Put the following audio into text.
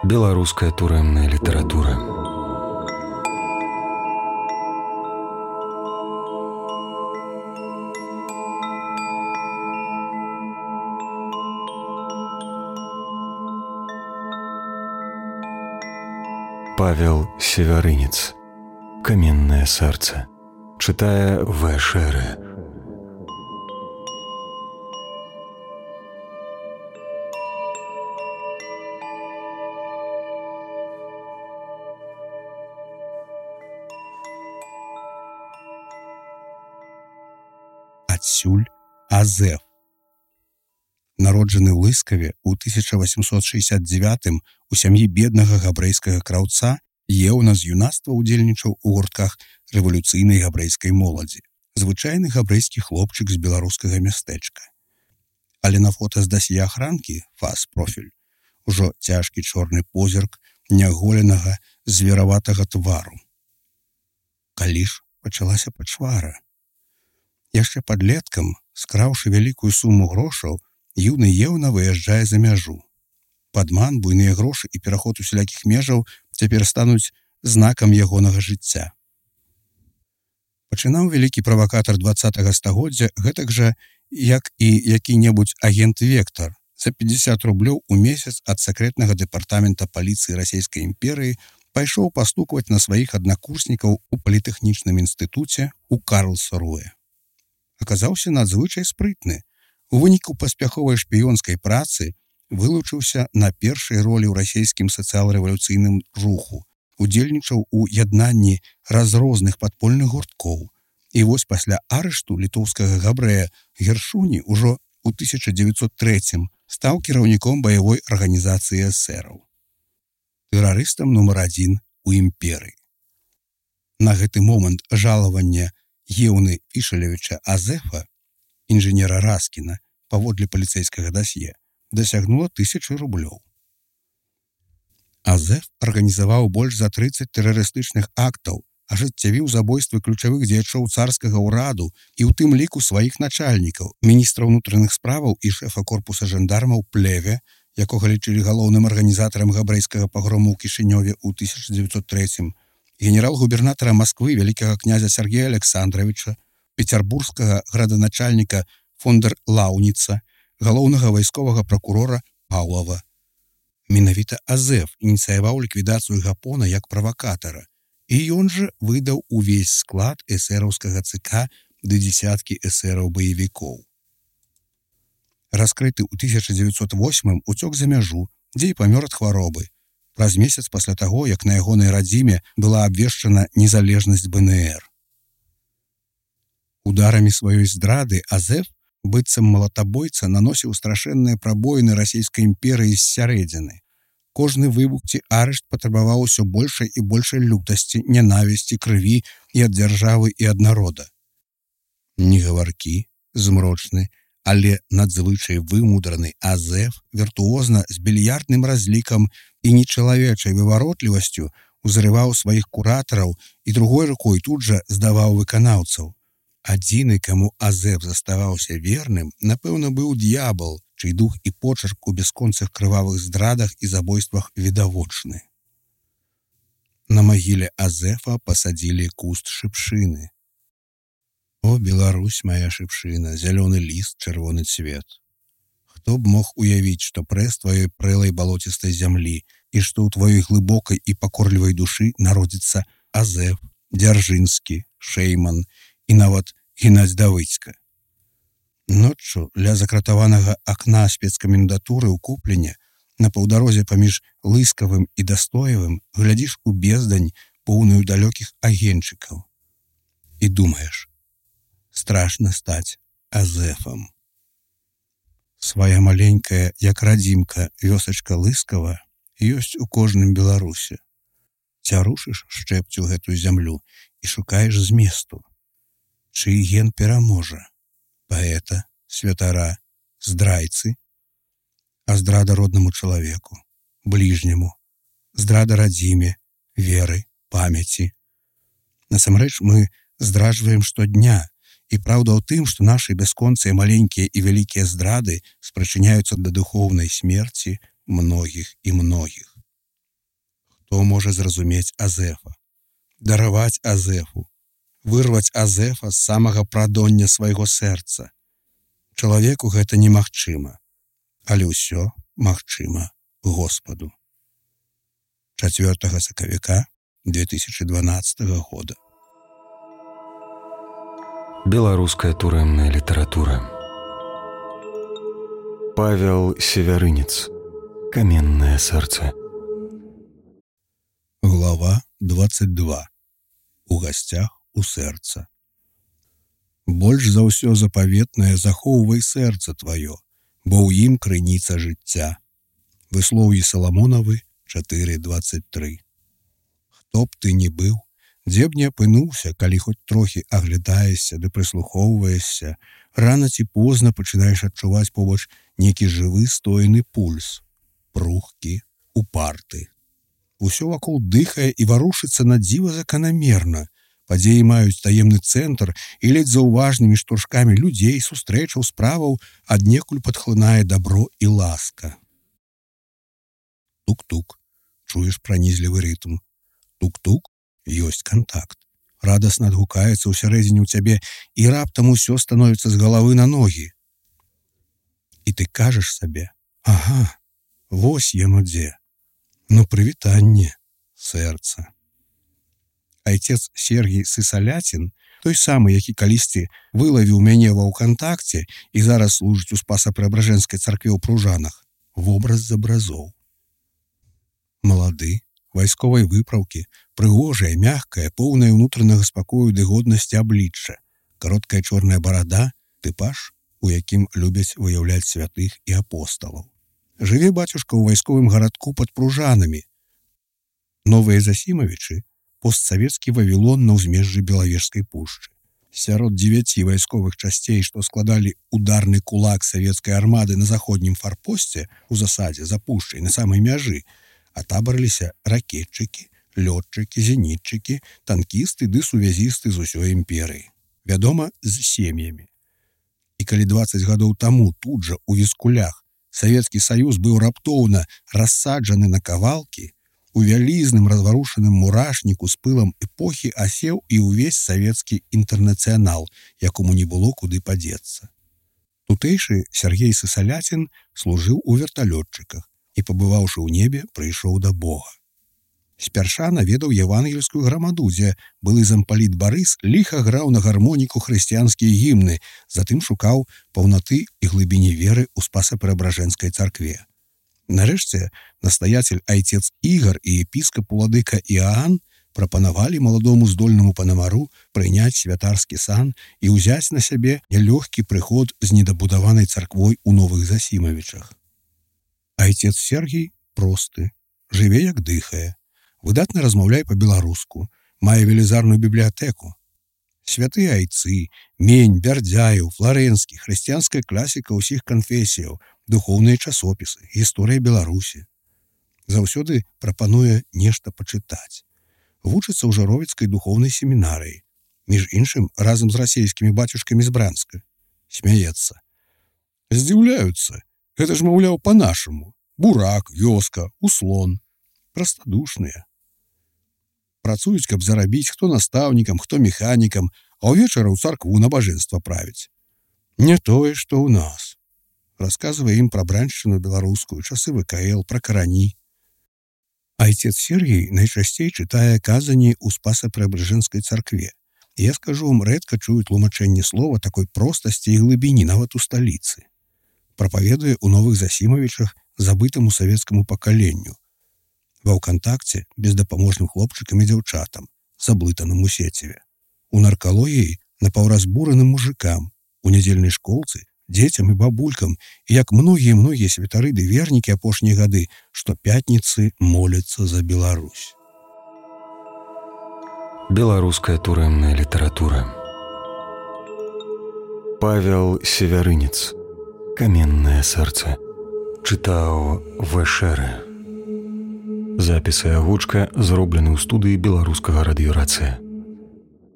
Беларуская турэмная літаратура. Павел Севярынец. Каменное сердце. Читая В. Шеры. Адсюль Азеф. Народжаны ў Лыскаве ў 1869 у сям'і беднага габрэйскага краўца, еўна з юнацтва ўдзельнічаў у гуртках рэвалюцыйнай габрэйскай моладзі. Звычайны габрэйскі хлопчык з беларускага мястэчка. Але на фота з дасье ахранкі, фас-профіль, ужо цяжкі чорны позірк няголенага звераватага твару. Калі ж пачалася пачвара? Яшчэ падлеткам, скраўшы вялікую суму грошаў, юны еўна выязджае за мяжу. Падман, буйныя грошы і пераход усялякіх межаў цяпер стануць знакам ягонага жыцця. Пачынаў вялікі правакатар 20-го стагоддзя гэтак жа, як і які-небудзь агент Вектар, за 50 рублёў у месяц ад сакрэтнага дэпартамента паліцыі Расійскай імперыі пайшоў пастукваць на сваіх аднакурснікаў у політэхнічным інстытуце ў Карлсруэ. Аказаўся надзвычай спрытны. У выніку паспяховай шпіёнскай працы вылучыўся на першай ролі ў расійскім сацыял-рэвалюцыйным руху, удзельнічаў у яднанні разрозных падпольных гурткоў. І вось пасля арышту літоўскага габрэя Гершуні ўжо ў 1903 стаў кіраўніком баявой арганізацыі эсэраў. Тэрарыстам нумар 1 у імперыі. На гэты момант жалавання Еўны Ішалевіча Азефа, інжынера Раскіна, паводле паліцэйскага дасье, дасягнула 1000 рублёў. Азеф арганізаваў больш за 30 тэрарыстычных актаў, ажыццявіў забойствы ключавых дзеячоў царскага ўраду і ў тым ліку сваіх начальнікаў, міністра ўнутраных справаў і шэфа корпуса жандармаў Плеве, якога лічылі галоўным арганізатарам габрэйскага пагрому ў Кішынёве ў 1903, генерал-губернатара Масквы вялікага князя Сергея Александровича, пецярбургскага граданачальніка Фондер Лаўніца, галоўнага вайсковага пракурора Паўлава. Менавіта Азеф ініцыяваў ліквідацыю Гапона як правакатара, і ён жа выдаў увесь склад эсэраўскага ЦК ды дзесяткі эсэраў-баявікоў. Раскрыты ў 1908 уцёк за мяжу, дзе і памёр ад хваробы. Праз месяц пасля таго, як на ягонай радзіме была абвешчана незалежнасць БНР. Ударамі сваёй здрады Азеф, быццам малатабойца, наносіў страшэнныя прабоіны расійскай імперыі з сярэдзіны. Кожны выбух ці арышт патрабаваў усё большай і большай лютасці, нянавісці, крыві і ад дзяржавы і ад народа. Негаваркі, змрочны, але надзвычай вымудраны Азеф віртуозна з більярдным разлікам і нечалавечай вываротлівасцю узрываў сваіх куратараў і другой рукой тут жа здаваў выканаўцаў. Адзіны, каму Азеф заставаўся верным, напэўна, быў д'ябал, чый дух і почерк у бясконцых крывавых здрадах і забойствах відавочны. На магіле Азефа пасадзілі куст шыпшыны. О, Беларусь, моя шыпшына, зялёны ліст, чырвоны цвет. Хто б мог уявіць, што прэс тваёй прэлай балоцістай зямлі і што ў тваёй глыбокай і пакорлівай душы народзіцца Азеф, Дзяржынскі, Шэйман і нават Геннадзь Давыдзька. Ноччу ля закратаванага акна спецкамендатуры ў Куплене на паўдарозе паміж Лыскавым і Дастоевым глядзіш у бездань, поўную далёкіх агеньчыкаў. І думаеш, страшна стаць Азефам. Свая маленькая, як радзімка, вёсачка Лыскава ёсць у кожным беларусе. Цярушыш шчэпцю гэтую зямлю і шукаеш зместу. Чый ген пераможа? Паэта, святара, здрайцы? А здрада роднаму чалавеку, бліжняму, здрада радзіме, веры, памяці. Насамрэч мы здраджваем штодня, і праўда ў тым, што нашы бясконцыя маленькія і вялікія здрады спрачыняюцца да духоўнай смерці многіх і многіх. Хто можа зразумець Азефа, дараваць Азефу, вырваць Азефа з самага прадоння свайго сэрца? Чалавеку гэта немагчыма, але ўсё магчыма Господу. 4 сакавіка 2012 года. Беларуская турэмная літаратура. Павел Севярынец. Каменное сэрца. Глава 22. У гасцях у сэрца. Больш за ўсё запаветнае захоўвай сэрца тваё, бо ў ім крыніца жыцця. Выслоўі Саламонавы 4:23. Хто б ты ні быў, дзе б не апынуўся, калі хоць трохі аглядаешся ды прыслухоўваешся, рана ці позна пачынаеш адчуваць побач нейкі жывы стоены пульс, прухкі, упарты. Усё вакол дыхае і варушыцца на дзіва заканамерна. Падзеі маюць таемны цэнтр і ледзь заўважнымі штуршкамі людзей, сустрэчаў, справаў аднекуль падхлынае дабро і ласка. Тук-тук, чуеш пранізлівы рытм. Тук-тук, ёсць кантакт. Радасна адгукаецца ўсярэдзіне ў цябе, і раптам усё становіцца з галавы на ногі. І ты кажаш сабе: ага, вось яно дзе. Ну, прывітанне, сэрца. Айцец Сергій Сысалятін, той самы, які калісьці вылавіў мяне ва ўкантакце і зараз служыць у Спаса-Преабражэнскай царкве ў Пружанах, вобраз з абразоў. Малады, вайсковай выпраўкі, прыгожая, мягкая, поўная ўнутранага спакою ды годнасці аблічча, кароткая чорная барада, тыпаж, у якім любяць выяўляць святых і апосталаў. Жыве бацюшка ў вайсковым гарадку пад Пружанамі. Новыя Засімавічы — постсавецкі Вавілон на ўзмежжы Белавежскай пушчы. Сярод 9 вайсковых часцей, што складалі ударны кулак савецкай армады на заходнім фарпосце ў засадзе за пушчай на самай мяжы, атабарыліся ракетчыкі, лётчыкі, зенітчыкі, танкісты ды сувязісты з усёй імперыі. Вядома, з сем'ямі. І калі 20 гадоў таму тут жа у Віскулях Савецкі Саюз быў раптоўна рассаджаны на кавалкі, у вялізным разварушаным мурашніку з пылам эпохі асеў і ўвесь савецкі інтэрнацыянал, якому не было куды падзецца. Тутэйшы Сергей Сысалятін служыў у верталётчыках і, пабываўшы ў небе, прыйшоў да Бога. Спярша наведаў евангельскую грамаду, дзе былы зампаліт Барыс ліха граў на гармоніку хрысціянскія гімны, затым шукаў паўнаты і глыбіні веры ў Спаса-Преабражэнскай царкве. Нарэшце, настаяцель айцец Ігар і епіскап уладыка Іаан прапанавалі маладому здольнаму панамару прыняць святарскі сан і ўзяць на сябе нялёгкі прыход з недабудаванай царквой у Новых Засімавічах. Айцец Сергій просты, жыве як дыхае, выдатна размаўляе па-беларуску, мае велізарную бібліятэку. Святыя айцы, Мень, Бярдзяеў, Фларэнскі, хрысціянская класіка ўсіх канфесіяў, духоўныя часопісы, гісторыя Беларусі. Заўсёды прапануе нешта пачытаць. Вучыцца ў Жаровіцкай духоўнай семінарыі, між іншым разам з расейскімі бацюшкамі з Бранска. Смяецца. Здзіўляюцца, гэта ж, маўляў, па-нашаму. Бурак, вёска, услон. Прастадушныя. Працуюць, каб зарабіць, хто настаўнікам, хто механікам, а ўвечары ў царкву набажэнства правіць. Не тое, што ў нас. Расказвае ім пра браншчыну беларускую, часы ВКЛ, пра карані. Айцец Сергій найчасцей чытае казані ў Спаса-Преабражэнскай царкве. Я скажу вам, рэдка чую тлумачэнне слова такой простасці і глыбіні нават у сталіцы. Прапаведуе ў Новых Засімавічах забытаму савецкаму пакаленню. Ва ўкантакце бездапаможным хлопчыкам і дзяўчатам, заблытаным у сеціве. У наркалогіі напаўразбураным мужикам, у нядзельнай школцы дзецям і бабулькам, і як многія святары ды вернікі апошнія гады, што пятніцы моляцца за Беларусь. Беларуская турэмная літаратура. Павел Севярынец. Каменное сэрца. Чытаў В.Ш. Запіс і агучка зроблены ў студыі беларускага радыёрацыя.